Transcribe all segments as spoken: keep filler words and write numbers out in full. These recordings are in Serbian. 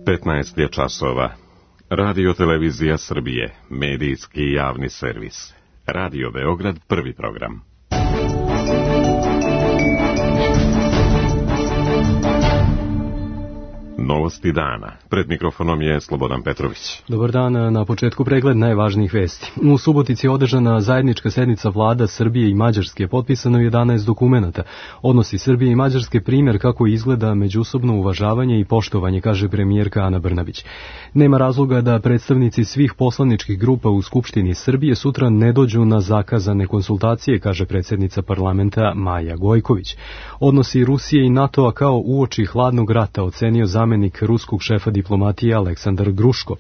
petnaest je časova. Radio Televizija Srbije, medijski javni servis. Radio Beograd, prvi program. Novosti dana. Pred mikrofonom je Slobodan Petrović. Dobar dan, na početku pregled najvažnijih vesti. U Subotici je održana zajednička sednica vlada Srbije i Mađarske, potpisano jedanaest dokumenata. Odnosi Srbije i Mađarske primjer kako izgleda međusobno uvažavanje i poštovanje, kaže premijerka Ana Brnabić. Nema razloga da predstavnici svih poslaničkih grupa u Skupštini Srbije sutra ne dođu na zakazane konsultacije, kaže predsjednica parlamenta Maja Gojković. Odnosi Rusije i NATO-a kao uoči hladnog rata, ocenio zamenik ruskog šefa diplomatije Aleksandar Gruško.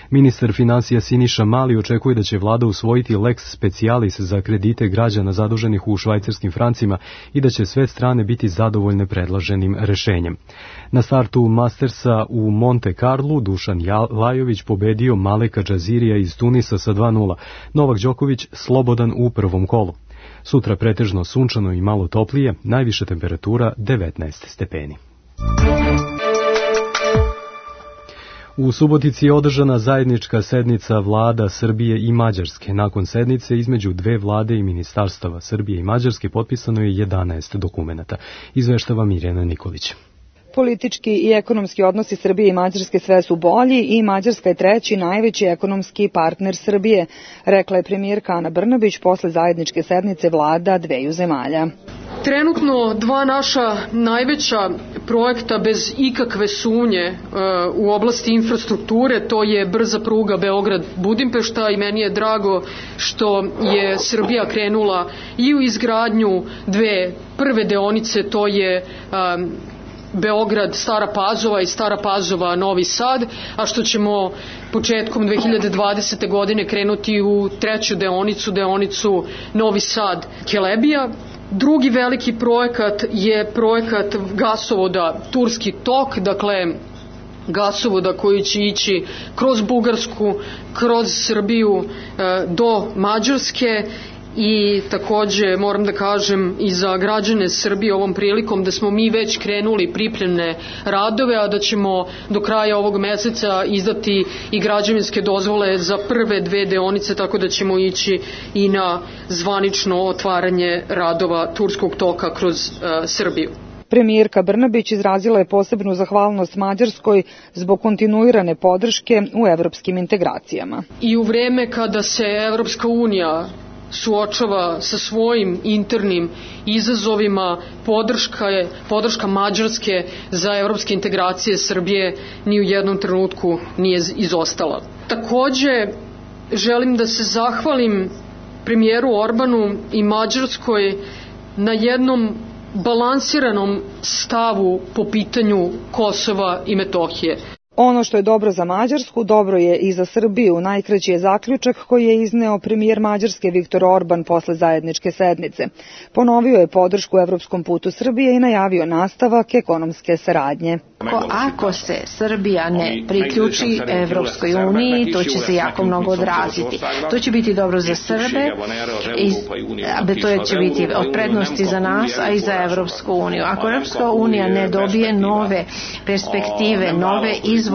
Ministar finansija Siniša Mali očekuje da će vlada usvojiti lex specialis za kredite građana zaduženih u švajcarskim francima i da će sve strane biti zadovoljne predloženim rešenjem. Na startu Mastersa u Monte Carlu Dušan Lajović pobedio Maleka Džazirija iz Tunisa sa dva nula. Novak Đoković slobodan u prvom kolu. Sutra pretežno sunčano i malo toplije, najviša temperatura devetnaest stepeni. U Subotici je održana zajednička sednica vlada Srbije i Mađarske. Nakon sednice između dve vlade i ministarstava Srbije i Mađarske potpisano je jedanaest dokumenata. Izveštava Mirjana Nikolić. Politički i ekonomski odnosi Srbije i Mađarske sve su bolji i Mađarska je treći najveći ekonomski partner Srbije, rekla je premijerka Ana Brnabić posle zajedničke sednice vlada dveju zemalja. Trenutno dva naša najveća projekta bez ikakve sumnje u oblasti infrastrukture, to je brza pruga Beograd-Budimpešta i meni je drago što je Srbija krenula i u izgradnju dve prve deonice, to je um, Beograd, Stara Pazova i Stara Pazova, Novi Sad, a što ćemo početkom dve hiljade dvadesete. godine krenuti u treću deonicu, deonicu Novi Sad, Kelebija. Drugi veliki projekat je projekat gasovoda Turski tok, dakle gasovoda koji će ići kroz Bugarsku, kroz Srbiju do Mađarske. I takođe moram da kažem i za građane Srbije ovom prilikom da smo mi već krenuli pripremne radove, a da ćemo do kraja ovog meseca izdati i građevinske dozvole za prve dve deonice, tako da ćemo ići i na zvanično otvaranje radova Turskog toka kroz uh, Srbiju. Premijerka Brnabić izrazila je posebnu zahvalnost Mađarskoj zbog kontinuirane podrške u evropskim integracijama. I u vreme kada se Evropska unija suočava sa svojim internim izazovima, podrška je podrška Mađarske za evropske integracije Srbije ni u jednom trenutku nije izostala. Takođe želim da se zahvalim premijeru Orbanu i Mađarskoj na jednom balansiranom stavu po pitanju Kosova i Metohije. Ono što je dobro za Mađarsku, dobro je i za Srbiju. Najkraći je zaključak koji je izneo premijer Mađarske Viktor Orban posle zajedničke sednice. Ponovio je podršku evropskom putu Srbije i najavio nastavak ekonomske saradnje. Ako se Srbija ne priključi Evropskoj uniji, to će se jako mnogo odraziti. To će biti dobro za Srbe, i to će biti od prednosti za nas, a i za Evropsku uniju. Ako Evropska unija ne dobije nove perspektive, nove izvore,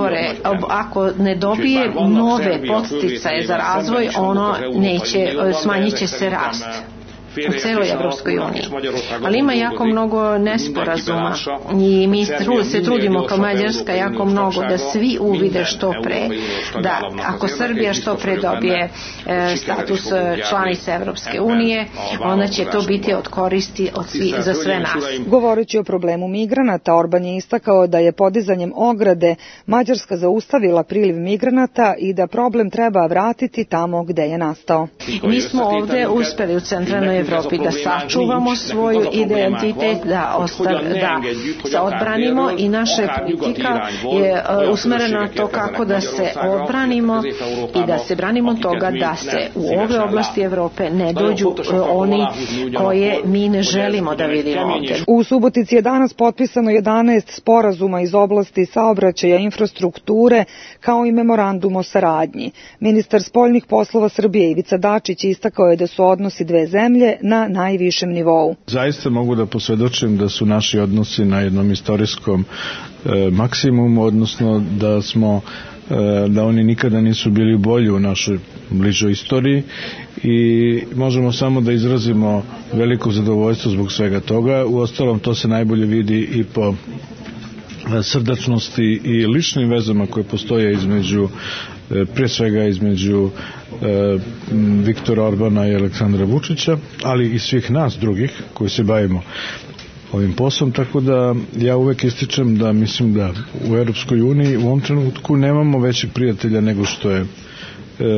ako ne dobije nove podsticaje za razvoj, ono neće, smanjit će se rast u celoj Evropskoj uniji. Ali ima jako mnogo nesporazuma i mi se trudimo kao Mađarska jako mnogo da svi uvide što pre, da ako Srbija što pre dobije e, status članice Evropske unije, onda će to biti od koristi od svi, za sve nas. Govoreći o problemu migranata, Orban je istakao da je podizanjem ograde Mađarska zaustavila priliv migranata i da problem treba vratiti tamo gde je nastao. Mi smo ovde uspeli u centralnoj Evropi da sačuvamo svoj identitet, da, ostav, da se odbranimo i naša politika je usmerena na to kako da se odbranimo i da se branimo toga da se u ove oblasti Evrope ne dođu oni koje mi ne želimo da vidimo ovde. U Subotici je danas potpisano jedanaest sporazuma iz oblasti saobraćaja, infrastrukture, kao i memorandum o saradnji. Ministar spoljnih poslova Srbije Ivica Dačić istakao je da su odnosi dve zemlje je na najvišem nivou. Zaista mogu da posvedočim da su naši odnosi na jednom istorijskom e, maksimumu, odnosno da smo da oni nikada nisu bili bolji u našoj bližoj istoriji i možemo samo da izrazimo veliko zadovoljstvo zbog svega toga. Uostalom, to se najbolje vidi i po srdačnosti i ličnim vezama koje postoje između, prije svega između Viktora Orbana i Aleksandra Vučića, ali i svih nas drugih koji se bavimo ovim poslom, tako da ja uvek ističem da mislim da u Europskoj uniji u ovom trenutku nemamo većih prijatelja nego što je,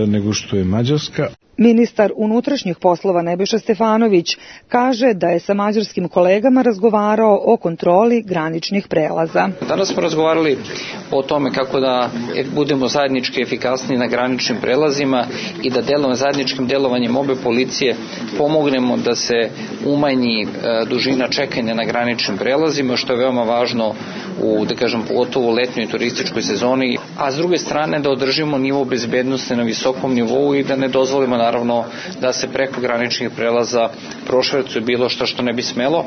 nego što je Mađarska. Ministar unutrašnjih poslova Nebojša Stefanović kaže da je sa mađarskim kolegama razgovarao o kontroli graničnih prelaza. Danas smo razgovarali o tome kako da budemo zajednički efikasni na graničnim prelazima i da delom, zajedničkim delovanjem obe policije pomognemo da se umanji dužina čekanja na graničnim prelazima, što je veoma važno u, da kažem, pogotovo u letnjoj turističkoj sezoni, a s druge strane da održimo nivo bezbednosti na visokom nivou i da ne dozvolimo naravno da se preko graničnih prelaza prošvercuje bilo što što ne bi smelo,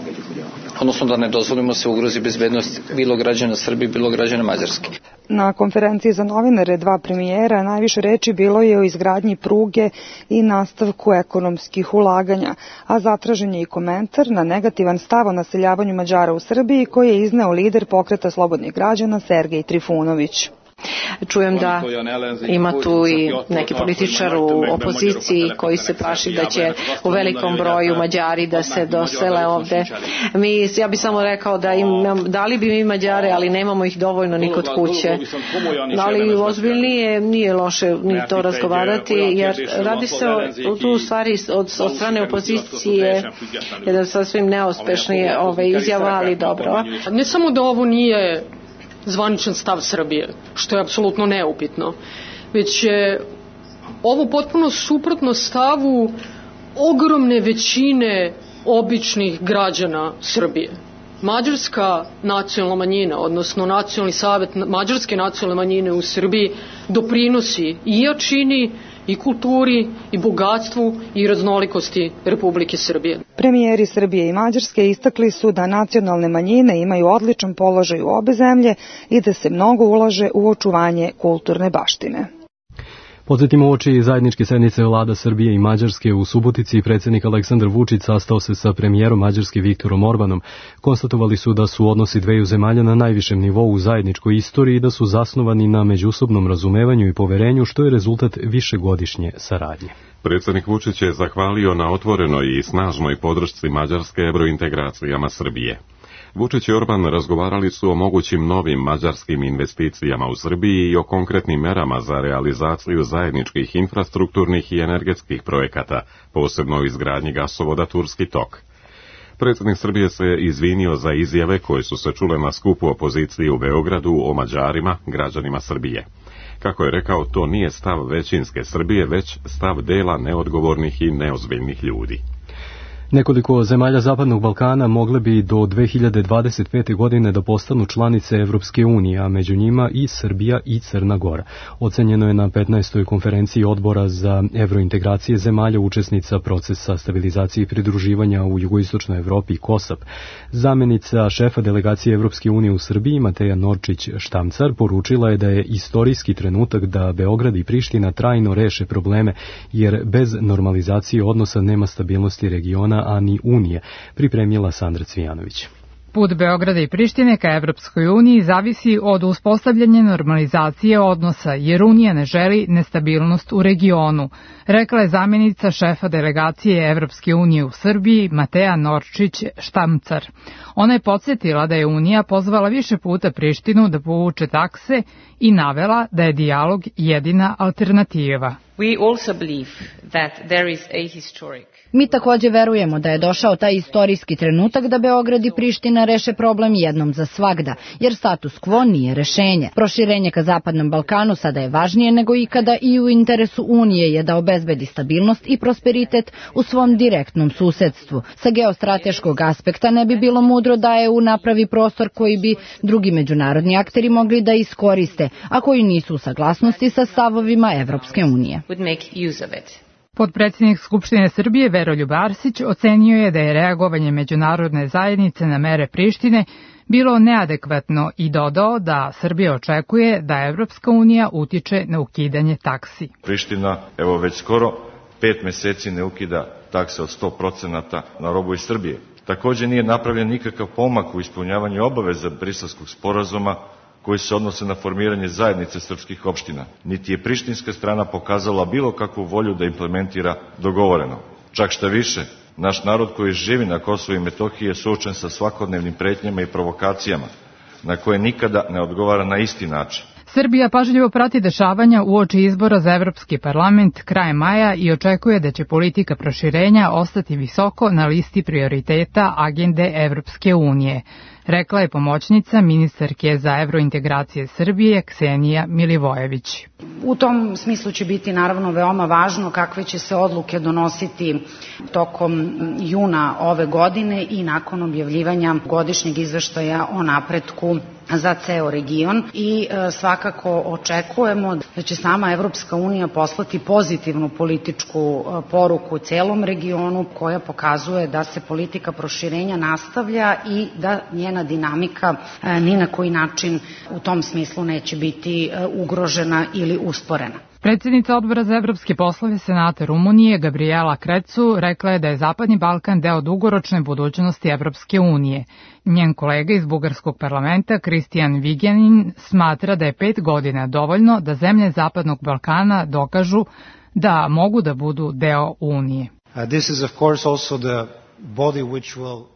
odnosno da ne dozvolimo se ugrozi bezbednost bilo građana Srbije, bilo građana Mađarske. Na konferenciji za novinare dva premijera najviše reči bilo je o izgradnji pruge i nastavku ekonomskih ulaganja, a zatražen je i komentar na negativan stav o naseljavanju Mađara u Srbiji koji je izneo lider Pokreta slobodnih građana Sergej Trifunović. Čujem da ima tu i neki političar u opoziciji koji se plaši da će u velikom broju Mađari da se dosele ovde. Mi, ja bih samo rekao da im, dali bi mi Mađare, ali nemamo ih dovoljno ni kod kuće. Ali ozbiljnije nije loše ni to razgovarati, jer radi se o tu stvari od, od strane opozicije, jedan sasvim neuspešni ove izjava, ali dobro. Ne samo da ovo nije zvaničan stav Srbije, što je apsolutno neupitno, već je ovo potpuno suprotno stavu ogromne većine običnih građana Srbije. Mađarska nacionalna manjina, odnosno nacionalni savet mađarske nacionalne manjine u Srbiji doprinosi i jačini i kulturi, i bogatstvu, i raznolikosti Republike Srbije. Premijeri Srbije i Mađarske istakli su da nacionalne manjine imaju odličan položaj u obe zemlje i da se mnogo ulaže u očuvanje kulturne baštine. Podsjetimo oči zajedničke sednice vlada Srbije i Mađarske u Subotici. Predsjednik Aleksandar Vučić sastao se sa premijerom Mađarske Viktorom Orbanom. Konstatovali su da su odnosi dveju zemalja na najvišem nivou u zajedničkoj istoriji i da su zasnovani na međusobnom razumevanju i poverenju, što je rezultat višegodišnje saradnje. Predsjednik Vučić je zahvalio na otvorenoj i snažnoj podršci Mađarske evrointegracijama Srbije. Vučić i Orban razgovarali su o mogućim novim mađarskim investicijama u Srbiji i o konkretnim merama za realizaciju zajedničkih infrastrukturnih i energetskih projekata, posebno izgradnji gasovoda Turski tok. Predsjednik Srbije se izvinio za izjave koje su se čule na skupu opozicije u Beogradu o Mađarima, građanima Srbije. Kako je rekao, to nije stav većinske Srbije, već stav dela neodgovornih i neozbiljnih ljudi. Nekoliko zemalja Zapadnog Balkana mogle bi do dve hiljade dvadeset pete. godine da postanu članice Evropske unije, a među njima i Srbija i Crna Gora. Ocenjeno je na petnaestoj konferenciji Odbora za evrointegracije zemalja učesnica procesa stabilizacije i pridruživanja u jugoistočnoj Evropi KOSAP. Zamenica šefa delegacije Evropske unije u Srbiji, Mateja Norčić-Štamcar, poručila je da je istorijski trenutak da Beograd i Priština trajno reše probleme, jer bez normalizacije odnosa nema stabilnosti regiona, a ni Unije, pripremila Sandra Cvijanović. Put Beograda i Prištine ka Evropskoj uniji zavisi od uspostavljanja normalizacije odnosa, jer Unija ne želi nestabilnost u regionu, rekla je zamjenica šefa delegacije Evropske unije u Srbiji, Mateja Norčić-Štamcar. Ona je podsjetila da je Unija pozvala više puta Prištinu da povuče takse i navela da je dijalog jedina alternativa. We also believe that there is a historic Mi takođe verujemo da je došao taj istorijski trenutak da Beograd i Priština reše problem jednom za svagda, jer status quo nije rešenje. Proširenje ka Zapadnom Balkanu sada je važnije nego ikada i u interesu Unije je da obezbedi stabilnost i prosperitet u svom direktnom susedstvu. Sa geostrateškog aspekta ne bi bilo mudro da E U napravi prostor koji bi drugi međunarodni akteri mogli da iskoriste, a koji nisu u saglasnosti sa stavovima Evropske unije. Potpredsjednik Skupštine Srbije Veroljub Arsić ocenio je da je reagovanje međunarodne zajednice na mere Prištine bilo neadekvatno i dodao da Srbija očekuje da Evropska unija utiče na ukidanje taksi. Priština, evo već skoro pet meseci ne ukida takse od sto procenata na robu iz Srbije. Takođe nije napravljen nikakav pomak u ispunjavanju obaveza Briselskog sporazuma koji se odnose na formiranje zajednice srpskih opština. Niti je prištinska strana pokazala bilo kakvu volju da implementira dogovoreno. Čak šta više, naš narod koji živi na Kosovu i Metohiji je suočen sa svakodnevnim pretnjama i provokacijama, na koje nikada ne odgovara na isti način. Srbija pažljivo prati dešavanja uoči izbora za Evropski parlament krajem maja i očekuje da će politika proširenja ostati visoko na listi prioriteta agende Evropske unije, rekla je pomoćnica ministarke za evrointegracije Srbije Ksenija Milivojević. U tom smislu će biti naravno veoma važno kakve će se odluke donositi tokom juna ove godine i nakon objavljivanja godišnjeg izveštaja o napretku za ceo region i e, svakako očekujemo da će sama Evropska unija poslati pozitivnu političku e, poruku celom regionu koja pokazuje da se politika proširenja nastavlja i da njena dinamika e, ni na koji način u tom smislu neće biti e, ugrožena ili usporena. Predsjednica Odbora za evropske poslove Senata Rumunije Gabriela Krecu rekla je da je Zapadni Balkan deo dugoročne budućnosti Evropske unije. Njen kolega iz Bugarskog parlamenta Kristijan Vigenin smatra da je pet godina dovoljno da zemlje Zapadnog Balkana dokažu da mogu da budu deo Unije. Uh, this is of course also the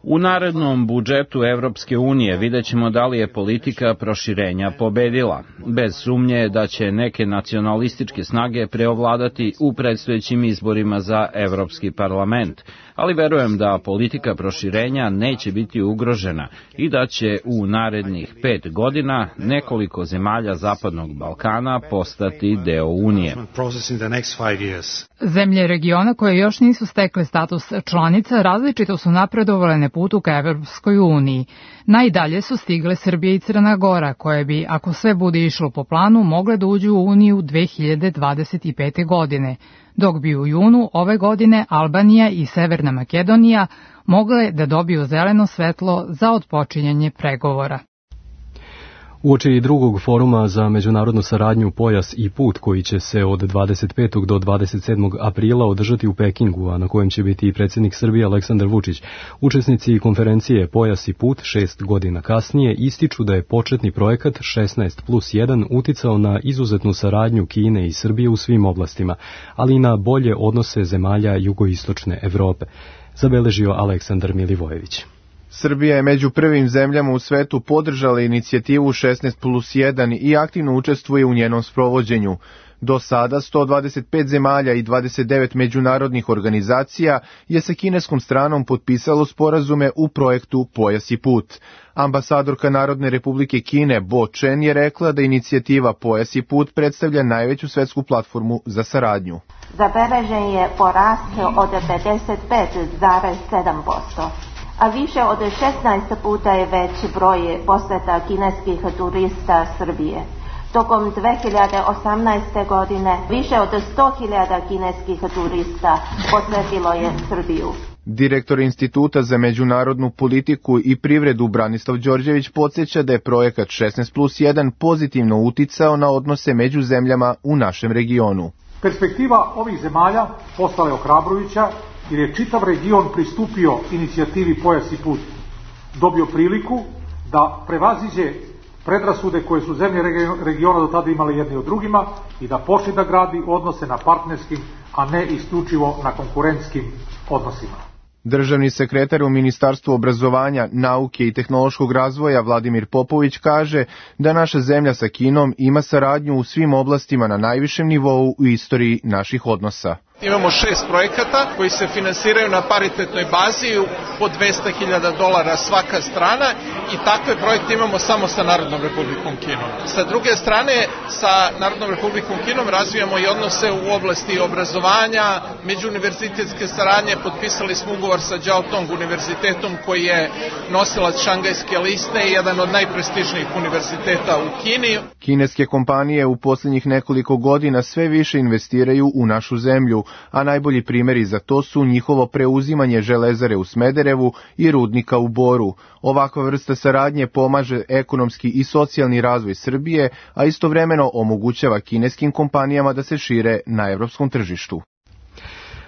U narednom budžetu Evropske unije vidjet ćemo da li je politika proširenja pobedila. Bez sumnje da će neke nacionalističke snage preovladati u predstojećim izborima za Evropski parlament, ali verujem da politika proširenja neće biti ugrožena i da će u narednih pet godina nekoliko zemalja Zapadnog Balkana postati deo Unije. Zemlje regiona koje još nisu stekle status članica različito su napredovale na putu ka Evropskoj uniji. Najdalje su stigle Srbija i Crna Gora, koje bi, ako sve bude išlo po planu, mogle da uđu u Uniju dve hiljade dvadeset pete. godine, dok bi u junu ove godine Albanija i Severna Makedonija mogle da dobiju zeleno svetlo za otpočinjanje pregovora. Uoči drugog foruma za međunarodnu saradnju Pojas i put koji će se od dvadeset petog do dvadeset sedmog aprila održati u Pekingu, a na kojem će biti i predsjednik Srbije Aleksandar Vučić, učesnici konferencije Pojas i put šest godina kasnije ističu da je početni projekat šesnaest plus jedan uticao na izuzetnu saradnju Kine i Srbije u svim oblastima, ali i na bolje odnose zemalja jugoistočne Evrope, zabeležio Aleksandar Milivojević. Srbija je među prvim zemljama u svetu podržala inicijativu šesnaest plus jedan i aktivno učestvuje u njenom sprovođenju. Do sada sto dvadeset pet zemalja i dvadeset devet međunarodnih organizacija je sa kineskom stranom potpisalo sporazume u projektu Pojas i put. Ambasadorka Narodne republike Kine Bo Chen je rekla da inicijativa Pojas i put predstavlja najveću svetsku platformu za saradnju. Zabeležen je porast od pedeset pet zarez sedam posto. A više od šesnaest puta je veći broj poseta kineskih turista Srbije. Tokom dve hiljade osamnaeste. godine više od sto hiljada kineskih turista posetilo je Srbiju. Direktor Instituta za međunarodnu politiku i privredu Branislav Đorđević podsjeća da je projekat šesnaest plus jedan pozitivno uticao na odnose među zemljama u našem regionu. Perspektiva ovih zemalja postala je ohrabrujuća jer je čitav region pristupio inicijativi Pojas i put, dobio priliku da prevaziđe predrasude koje su zemlje regiona do tada imale jedni od drugima i da počne da gradi odnose na partnerskim, a ne isključivo na konkurentskim odnosima. Državni sekretar u Ministarstvu obrazovanja, nauke i tehnološkog razvoja Vladimir Popović kaže da naša zemlja sa Kinom ima saradnju u svim oblastima na najvišem nivou u istoriji naših odnosa. Imamo šest projekata koji se finansiraju na paritetnoj bazi po dvesta hiljada dolara svaka strana i takve projekte imamo samo sa Narodnom republikom Kinom. Sa druge strane, sa Narodnom republikom Kinom razvijamo i odnose u oblasti obrazovanja, međuuniverzitetske saradnje, potpisali smo ugovor sa Jiaotong univerzitetom koji je nosilac Šangajske liste i jedan od najprestižnijih univerziteta u Kini. Kineske kompanije u posljednjih nekoliko godina sve više investiraju u našu zemlju, a najbolji primjeri za to su njihovo preuzimanje železare u Smederevu i rudnika u Boru. Ovakva vrsta saradnje pomaže ekonomski i socijalni razvoj Srbije, a istovremeno omogućava kineskim kompanijama da se šire na evropskom tržištu.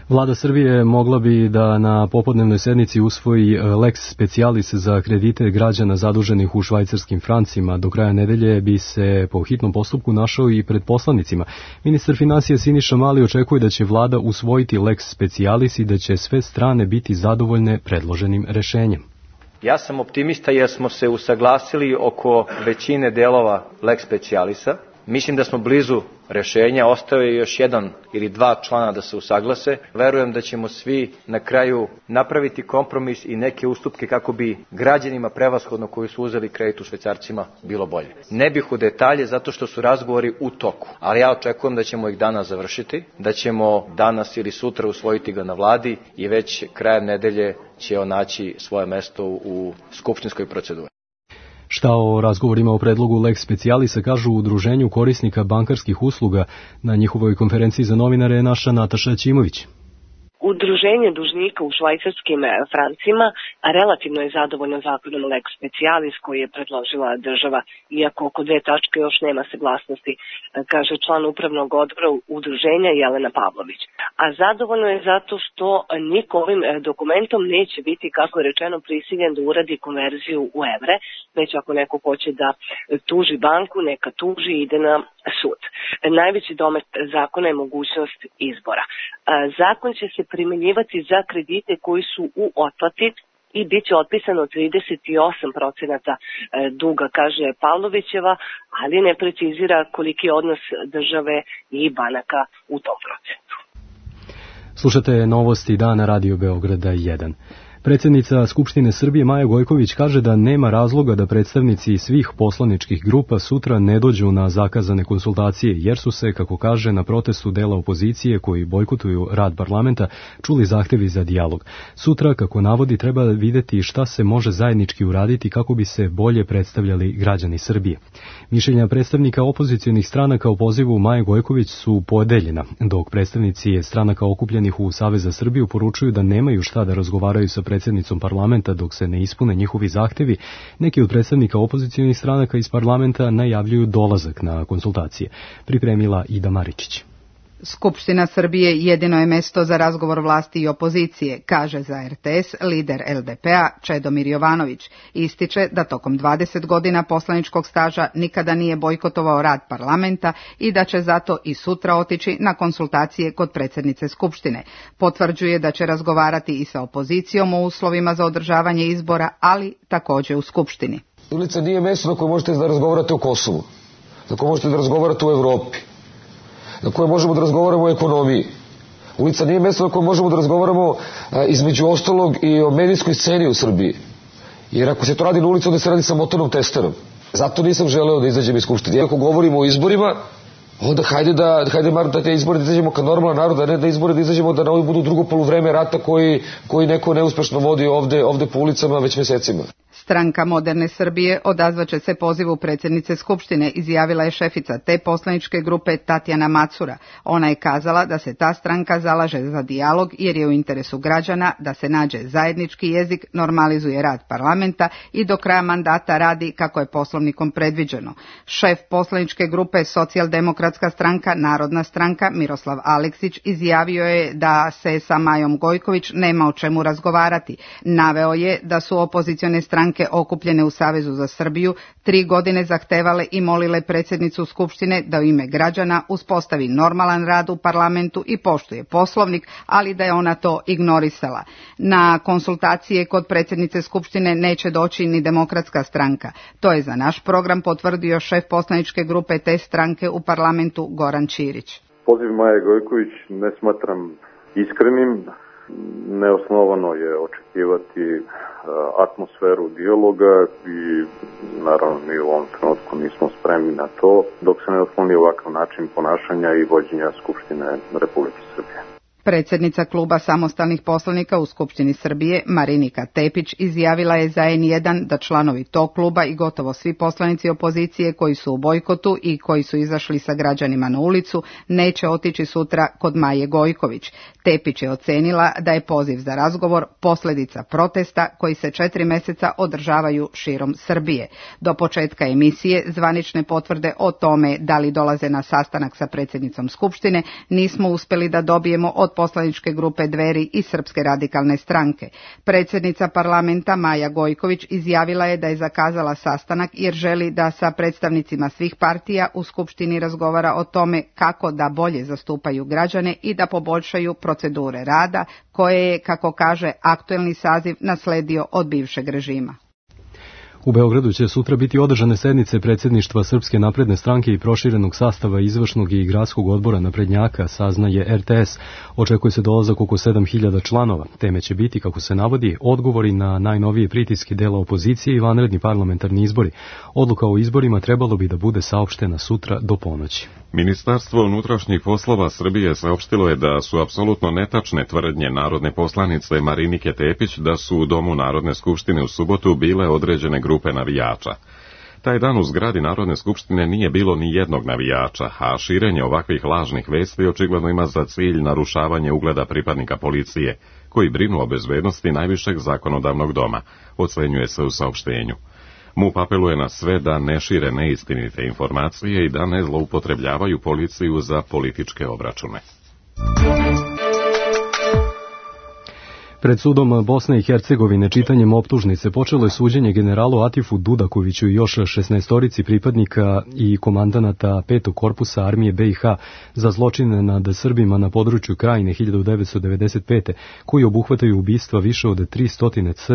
Vlada Srbije mogla bi da na popodnevnoj sednici usvoji lex specialis za kredite građana zaduženih u švajcarskim francima. Do kraja nedelje bi se po hitnom postupku našao i pred poslanicima. Ministar finansija Siniša Mali očekuje da će vlada usvojiti lex specialis i da će sve strane biti zadovoljne predloženim rešenjem. Ja sam optimista jer smo se usaglasili oko većine delova lex specialisa. Mislim da smo blizu rešenja, ostao je još jedan ili dva člana da se usaglase. Verujem da ćemo svi na kraju napraviti kompromis i neke ustupke kako bi građanima prevashodno koji su uzeli kredit u švajcarcima bilo bolje. Ne bih u detalje zato što su razgovori u toku, ali ja očekujem da ćemo ih danas završiti, da ćemo danas ili sutra usvojiti ga na vladi i već krajem nedelje će on naći svoje mesto u skupštinskoj proceduri. Šta o razgovorima o predlogu lex specialisa kažu u Udruženju korisnika bankarskih usluga? Na njihovoj konferenciji za novinare je naša Nataša Ćimović. Udruženje dužnika u švajcarskim francima relativno je zadovoljno zakonom lex specialis koji je predložila država, iako oko dve tačke još nema saglasnosti, kaže član upravnog odbora udruženja Jelena Pavlović. A zadovoljno je zato što niko ovim dokumentom neće biti, kako je rečeno, prisiljen da uradi konverziju u evre, već ako neko hoće da tuži banku, neka tuži i ide na sud. Najveći domet zakona je mogućnost izbora. Zakon će se primjenjivati za kredite koji su u otplati i bit će otpisano trideset osam procenata duga, kaže Pavlovićeva, ali ne precizira koliki je odnos države i banaka u tom procentu. Slušate novosti dana Radio Beograda jedan. Predsjednica Skupštine Srbije Maja Gojković kaže da nema razloga da predstavnici svih poslaničkih grupa sutra ne dođu na zakazane konsultacije, jer su se, kako kaže, na protestu dela opozicije koji bojkotuju rad parlamenta čuli zahtevi za dijalog. Sutra, kako navodi, treba videti šta se može zajednički uraditi kako bi se bolje predstavljali građani Srbije. Mišljenja predstavnika opozicionih stranaka o pozivu Maje Gojković su podeljena, dok predstavnici stranaka okupljenih u Savez za Srbiju poručuju da nemaju šta da razgovaraju sa predsjednicom parlamenta dok se ne ispune njihovi zahtevi. Neki od predstavnika opozicionih stranaka iz parlamenta najavljuju dolazak na konsultacije. Pripremila Ida Maričić. Skupština Srbije jedino je mesto za razgovor vlasti i opozicije, kaže za er te es lider el de pe a Čedomir Jovanović. Ističe da tokom dvadeset godina poslaničkog staža nikada nije bojkotovao rad parlamenta i da će zato i sutra otići na konsultacije kod predsjednice Skupštine. Potvrđuje da će razgovarati i sa opozicijom o uslovima za održavanje izbora, ali također u Skupštini. Ulica nije mesto na koje možete da razgovarate o Kosovu, na koje možete da razgovarate o Evropi, na koje možemo da razgovaramo o ekonomiji. Ulica nije mjesto na koje možemo da razgovaramo a, između ostalog i o medijskoj sceni u Srbiji. Jer ako se to radi na ulici, onda se radi sa motornom testerom. Zato nisam želeo da izađem iz Skupštine. Ako govorimo o izborima, onda hajde da, hajde mar da te izbore da izađemo kao normalan narod, a ne da izbore da izađemo da na ovi budu drugo poluvreme rata koji, koji neko neuspešno vodi ovde, ovde po ulicama već mjesecima. Stranka Moderne Srbije odazvaće se pozivu predsjednice Skupštine, izjavila je šefica te poslaničke grupe Tatjana Macura. Ona je kazala da se ta stranka zalaže za dijalog jer je u interesu građana da se nađe zajednički jezik, normalizuje rad parlamenta i do kraja mandata radi kako je poslovnikom predviđeno. Šef poslaničke grupe Socijaldemokratska stranka Narodna stranka Miroslav Aleksić izjavio je da se sa Majom Gojković nema o čemu razgovarati. Naveo je da su opozicione stranke okupljene u Savezu za Srbiju tri godine zahtevale i molile predsjednicu Skupštine da u ime građana uspostavi normalan rad u parlamentu i poštuje poslovnik, ali da je ona to ignorisala. Na konsultacije kod predsjednice Skupštine neće doći ni Demokratska stranka. To je za naš program potvrdio šef poslaničke grupe te stranke u parlamentu Goran Ćirić. Poziv Maje Gojković ne smatram iskrenim. Neosnovano je očekivati atmosferu dijaloga i naravno mi u ovom trenutku nismo spremni na to dok se ne otkloni ovakav način ponašanja i vođenja Skupštine Republike Srbije. Predsjednica kluba samostalnih poslanika u Skupštini Srbije, Marinika Tepić, izjavila je za en jedan da članovi tog kluba i gotovo svi poslanici opozicije koji su u bojkotu i koji su izašli sa građanima na ulicu neće otići sutra kod Maje Gojković. Tepić je ocenila da je poziv za razgovor posljedica protesta koji se četiri mjeseca održavaju širom Srbije. Do početka emisije zvanične potvrde o tome da li dolaze na sastanak sa predsjednicom Skupštine nismo uspjeli da dobijemo od poslaničke grupe Dveri i Srpske radikalne stranke. Predsjednica parlamenta Maja Gojković izjavila je da je zakazala sastanak jer želi da sa predstavnicima svih partija u Skupštini razgovara o tome kako da bolje zastupaju građane i da poboljšaju procedure rada koje je, kako kaže, aktuelni saziv nasledio od bivšeg režima. U Beogradu će sutra biti održane sednice predsjedništva Srpske napredne stranke i proširenog sastava izvršnog i gradskog odbora naprednjaka, saznaje er te es. Očekuje se dolazak oko sedam hiljada članova. Teme će biti, kako se navodi, odgovori na najnovije pritiske dela opozicije i vanredni parlamentarni izbori. Odluka o izborima trebalo bi da bude saopštena sutra do ponoći. Ministarstvo unutrašnjih poslova Srbije saopštilo je da su apsolutno netačne tvrdnje narodne poslanice Marinike Tepić da su u Domu Narodne skupštine u subotu bile određene grupe navijača. Taj dan u zgradi Narodne skupštine nije bilo ni jednog navijača, a širenje ovakvih lažnih vesti očigledno ima za cilj narušavanje ugleda pripadnika policije, koji brinu o bezbednosti najvišeg zakonodavnog doma, ocenjuje se u saopštenju. MUP apeluje na sve da ne šire neistinite informacije i da ne zloupotrebljavaju policiju za političke obračune. Pred sudom Bosne i Hercegovine čitanjem optužnice počelo je suđenje generalu Atifu Dudakoviću i još šesnaestorici pripadnika i komandanata petog korpusa armije be i ha za zločine nad Srbima na području Krajine hiljadu devetsto devedeset pete. koji obuhvataju ubistva više od tristo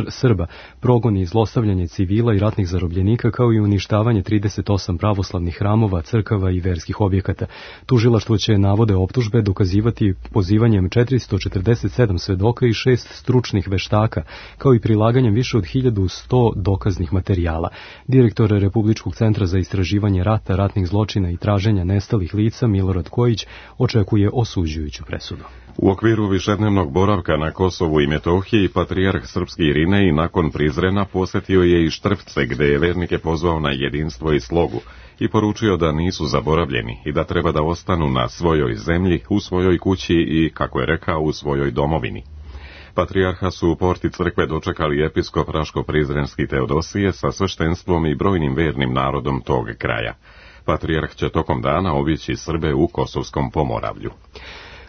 Srba, progoni i zlostavljanje civila i ratnih zarobljenika, kao i uništavanje trideset osam pravoslavnih hramova, crkava i verskih objekata. Tužilaštvo će navode optužbe dokazivati pozivanjem četiristo četrdeset sedam svedoka i šest stručnih veštaka, kao i prilaganjem više od hiljadu sto dokaznih materijala. Direktor Republičkog centra za istraživanje rata, ratnih zločina i traženja nestalih lica Milorad Kojić očekuje osuđujuću presudu. U okviru višednevnog boravka na Kosovu i Metohiji, patrijarh srpski Irinej nakon Prizrena posjetio je i Štrpce, gde je vernike pozvao na jedinstvo i slogu i poručio da nisu zaboravljeni i da treba da ostanu na svojoj zemlji, u svojoj kući i, kako je rekao, u svojoj domovini. Patrijarha su u porti crkve dočekali episkop Raško-Prizrenski Teodosije sa sveštenstvom i brojnim vernim narodom tog kraja. Patrijarh će tokom dana obići Srbe u Kosovskom Pomoravlju.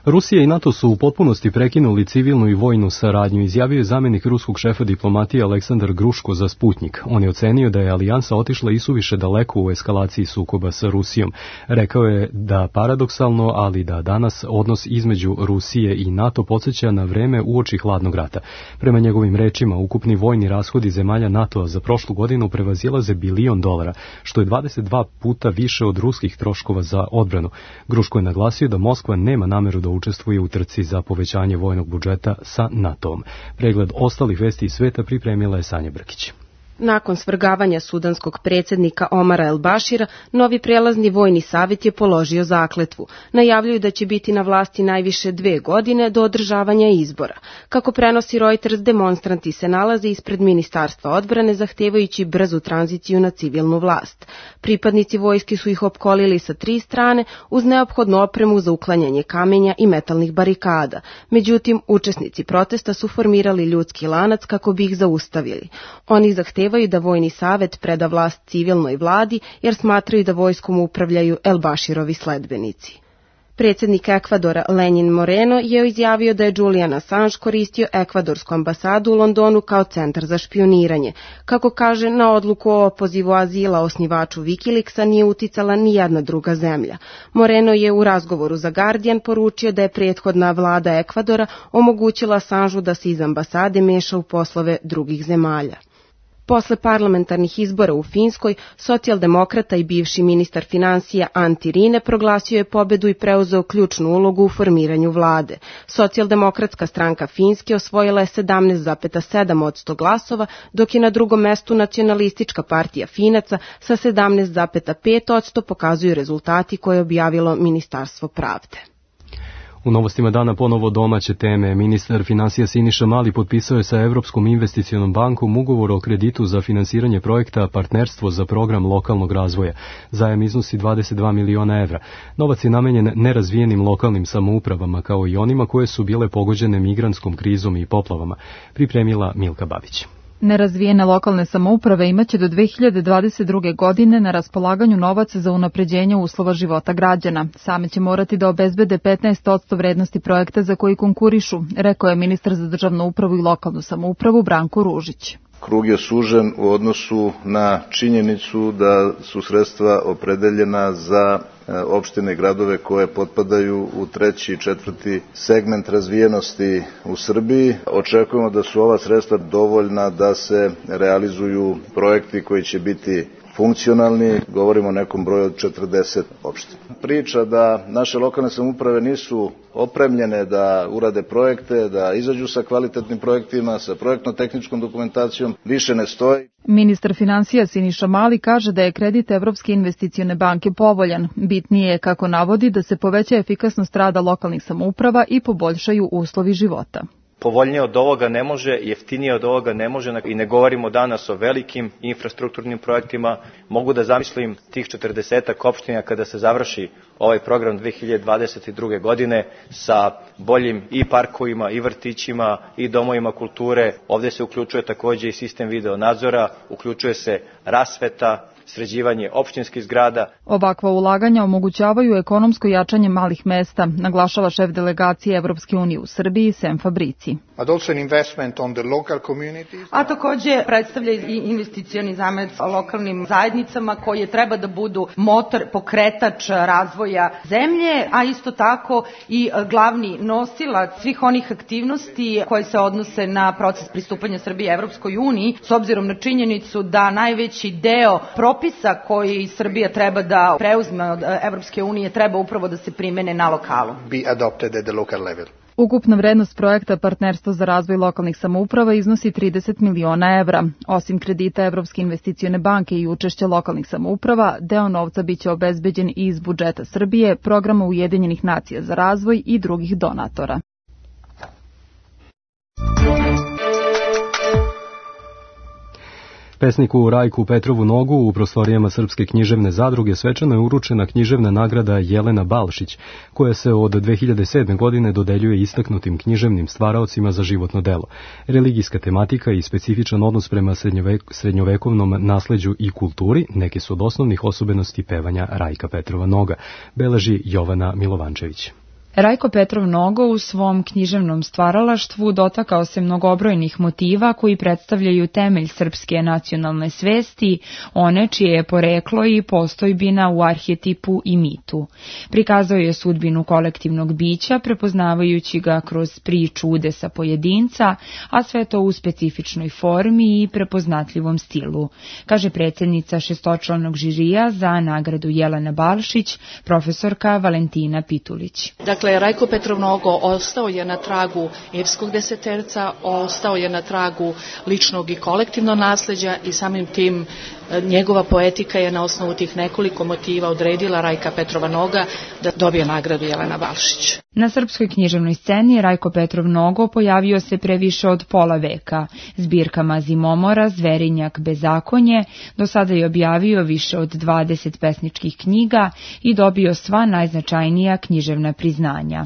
Rusija i NATO su u potpunosti prekinuli civilnu i vojnu saradnju, izjavio je zamjenik ruskog šefa diplomatije Aleksandar Gruško za Sputnik. On je ocenio da je alijansa otišla isuviše daleko u eskalaciji sukoba sa Rusijom. Rekao je da paradoksalno, ali da danas odnos između Rusije i NATO podsjeća na vreme uoči hladnog rata. Prema njegovim rečima, ukupni vojni rashodi zemalja NATO-a za prošlu godinu prevazilaze bilion dolara, što je dvadeset dva puta više od ruskih troškova za odbranu. Gruško je naglasio da Moskva nema nameru da učestvuje u trci za povećanje vojnog budžeta sa NATO-om. Pregled ostalih vesti iz sveta pripremila je Sanja Brkić. Nakon svrgavanja sudanskog predsjednika Omara El Bašira, novi prelazni vojni savjet je položio zakletvu. Najavljuju da će biti na vlasti najviše dve godine do održavanja izbora. Kako prenosi Reuters, demonstranti se nalaze ispred Ministarstva odbrane zahtevajući brzu tranziciju na civilnu vlast. Pripadnici vojske su ih opkolili sa tri strane uz neophodnu opremu za uklanjanje kamenja i metalnih barikada. Međutim, učesnici protesta su formirali ljudski lanac kako bi ih zaustavili. Oni zahtevaju da vojni savjet preda vlast civilnoj vladi jer smatraju da vojskom upravljaju El Baširovi sledbenici. Predsjednik Ekvadora Lenin Moreno je izjavio da je Julian Assange koristio ekvadorsku ambasadu u Londonu kao centar za špioniranje. Kako kaže, na odluku o opozivu azila osnivaču Wikileaksa nije uticala ni jedna druga zemlja. Moreno je u razgovoru za Guardian poručio da je prethodna vlada Ekvadora omogućila Assangeu da se iz ambasade meša u poslove drugih zemalja. Posle parlamentarnih izbora u Finskoj, socijaldemokrata i bivši ministar financija Antti Rinne proglasio je pobedu i preuzeo ključnu ulogu u formiranju vlade. Socijaldemokratska stranka Finske osvojila je sedamnaest zarez sedam posto glasova, dok je na drugom mestu nacionalistička partija Finaca sa sedamnaest zarez pet posto, pokazuju rezultati koje je objavilo Ministarstvo pravde. U novostima dana ponovo domaće teme. Ministar finansija Siniša Mali potpisao je sa Evropskom investicionom bankom ugovor o kreditu za finansiranje projekta Partnerstvo za program lokalnog razvoja. Zajam iznosi dvadeset dva miliona evra. Novac je namenjen nerazvijenim lokalnim samoupravama kao i onima koje su bile pogođene migrantskom krizom i poplavama. Pripremila Milka Babić. Nerazvijene lokalne samouprave imaće do dve hiljade dvadeset druge. godine na raspolaganju novac za unapređenje uslova života građana. Same će morati da obezbede petnaest posto vrednosti projekta za koji konkurišu, rekao je ministar za državnu upravu i lokalnu samoupravu Branko Ružić. Krug je sužen u odnosu na činjenicu da su sredstva opredeljena za opštine i gradove koje potpadaju u treći i četvrti segment razvijenosti u Srbiji. Očekujemo da su ova sredstva dovoljna da se realizuju projekti koji će biti funkcionalni, govorimo o nekom broju od četrdeset opština. Priča da naše lokalne samouprave nisu opremljene da urade projekte, da izađu sa kvalitetnim projektima, sa projektno-tehničkom dokumentacijom, više ne stoji. Ministar finansija Siniša Mali kaže da je kredit Evropske investicione banke povoljan. Bitnije je, kako navodi, da se poveća efikasnost rada lokalnih samouprava i poboljšaju uslovi života. Povoljnije od ovoga ne može, jeftinije od ovoga ne može i ne govorimo danas o velikim infrastrukturnim projektima. Mogu da zamislim tih četrdesetak opština kada se završi ovaj program dve hiljade dvadeset druge. godine sa boljim i parkovima, i vrtićima, i domovima kulture. Ovde se uključuje takođe i sistem video nadzora, uključuje se rasveta, sređivanje opštinskih zgrada. Ovakva ulaganja omogućavaju ekonomsko jačanje malih mesta, naglašava šef delegacije Evropske unije u Srbiji Sem Fabrici. A takođe predstavlja i investicioni zamec lokalnim zajednicama koje treba da budu motor, pokretač razvoja zemlje, a isto tako i glavni nosilac svih onih aktivnosti koje se odnose na proces pristupanja Srbije Evropskoj uniji, s obzirom na činjenicu da najveći deo propisa koji Srbija treba da preuzme od Evropske unije treba upravo da se primene na lokalu. Ukupna vrednost projekta Partnerstvo za razvoj lokalnih samouprava iznosi trideset miliona evra. Osim kredita Evropske investicione banke i učešća lokalnih samouprava, deo novca biće obezbeđen i iz budžeta Srbije, programa Ujedinjenih nacija za razvoj i drugih donatora. Pesniku Rajku Petrovu Nogu u prostorijama Srpske književne zadruge svečano je uručena književna nagrada Jelena Balšić, koja se od dve hiljade sedme. godine dodeljuje istaknutim književnim stvaraocima za životno delo. Religijska tematika i specifičan odnos prema srednjovek, srednjovekovnom nasleđu i kulturi neke su od osnovnih osobenosti pevanja Rajka Petrova Noga, beleži Jovana Milovančević. Rajko Petrov Nogo u svom književnom stvaralaštvu dotakao se mnogobrojnih motiva koji predstavljaju temelj srpske nacionalne svesti, one čije je poreklo i postojbina u arhetipu i mitu. Prikazao je sudbinu kolektivnog bića, prepoznavajući ga kroz priču udesa pojedinca, a sve to u specifičnoj formi i prepoznatljivom stilu, kaže predsjednica šestočlanog žirija za nagradu Jelena Balšić, profesorka Valentina Pitulić. Dakle, Rajko Petrov Nogo ostao je na tragu epskog deseterca, ostao je na tragu ličnog i kolektivnog nasleđa i samim tim njegova poetika je na osnovu tih nekoliko motiva odredila Rajka Petrova Noga da dobije nagradu Jelena Balšić. Na srpskoj književnoj sceni Rajko Petrov Nogo pojavio se pre više od pola veka. Zbirkama Zimomora, Zverinjak, Bezakonje, do sada je objavio više od dvadeset pesničkih knjiga i dobio sva najznačajnija književna priznanja.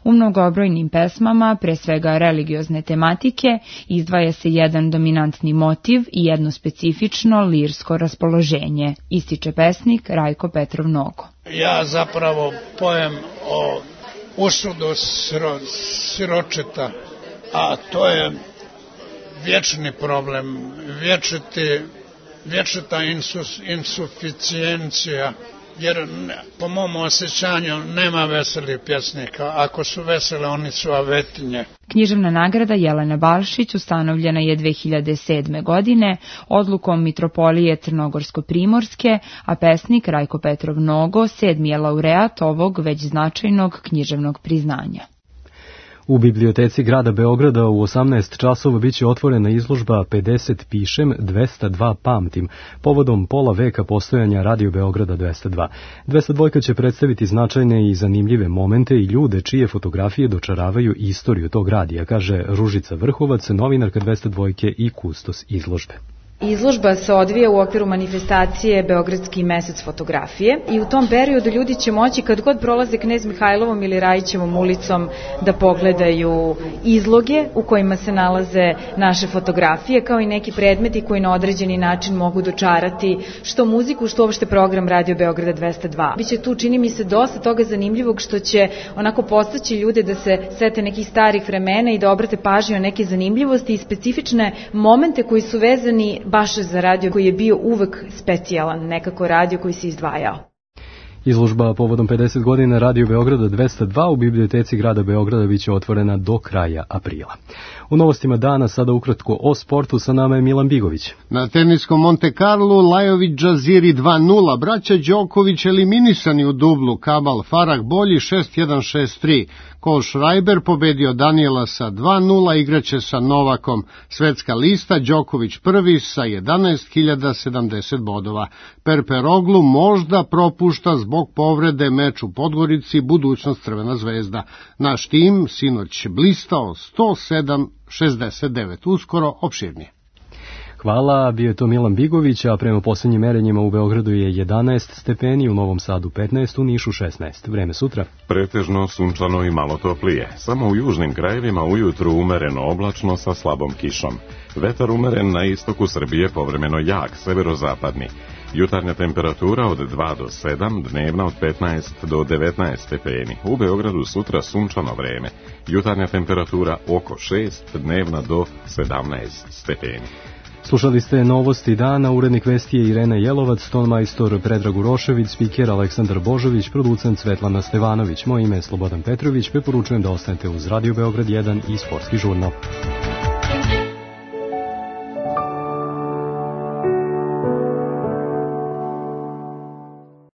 U mnogobrojnim pesmama, pre svega religiozne tematike, izdvaja se jedan dominantni motiv i jedno specifično lirsko raspoloženje, ističe pesnik Rajko Petrov Nogo. Ja zapravo pojem o usudu siro, siročeta, a to je vječni problem, vječiti, vječita insus, insuficijencija, jer po mom osjećanju nema veselih pjesnika, ako su vesele oni su avetinje. Književna nagrada Jelena Balšić ustanovljena je dve hiljade sedme. godine odlukom Mitropolije Crnogorsko-Primorske, a pesnik Rajko Petrov Nogo sedmi je laureat ovog već značajnog književnog priznanja. U biblioteci grada Beograda u osamnaest časova biće otvorena izložba pedeset pišem, dvesta dva pamtim, povodom pola veka postojanja Radio Beograda dvesta dva. dvesta dva će predstaviti značajne i zanimljive momente i ljude čije fotografije dočaravaju istoriju tog radija, kaže Ružica Vrhovac, novinarka dvesta dva i kustos izložbe. Izložba se odvija u okviru manifestacije Beogradski mesec fotografije i u tom periodu ljudi će moći kad god prolaze Knez Mihajlovom ili Rajićevom ulicom da pogledaju izloge u kojima se nalaze naše fotografije, kao i neki predmeti koji na određeni način mogu dočarati što muziku, što uopšte program Radio Beograda dvesta dva. Biće tu, čini mi se, dosta toga zanimljivog što će onako podstaći ljude da se sete nekih starih vremena i da obrate pažnju na neke zanimljivosti i specifične momente koji su vezani baš za radio koji je bio uvek specijalan, nekako radio koji se izdvajao. Izložba povodom pedeset godina Radio Beograda dvesta dva u biblioteci grada Beograda biće otvorena do kraja aprila. U novostima dana sada ukratko o sportu, sa nama je Milan Bigović. Na teniskom Monte Carlo Lajović Džaziri dva nula, braća Đoković eliminisani u dublu, Kabal Farah bolji šest jedan šest tri. Cole Schreiber pobedio Daniela sa dva nula, igraće sa Novakom. Svetska lista, Đoković prvi sa jedanaest hiljada sedamdeset bodova. Perperoglu možda propušta zbog povrede meč u Podgorici, budućnost Crvena zvezda. Naš tim sinoć blistao sto sedam šezdeset devet, uskoro opširnije. Hvala, bio je to Milan Bigović, a prema posljednjim merenjima u Beogradu je jedanaest stepeni, u Novom Sadu petnaest, u Nišu šesnaest. Vreme sutra? Pretežno sunčano i malo toplije. Samo u južnim krajevima ujutru umereno oblačno sa slabom kišom. Vetar umeren na istoku Srbije, povremeno jak, severozapadni. Jutarnja temperatura od dva do sedam, dnevna od petnaest do devetnaest stepeni. U Beogradu sutra sunčano vreme. Jutarnja temperatura oko šest, dnevna do sedamnaest stepeni. Slušali ste novosti dana, urednik vesti je Irena Jelovac, tonmajstor Predrag Urošević, spiker Aleksandar Božović, producent Svetlana Stevanović. Moje ime je Slobodan Petrović, preporučujem da ostanete uz Radio Beograd jedan i Sportski žurnal.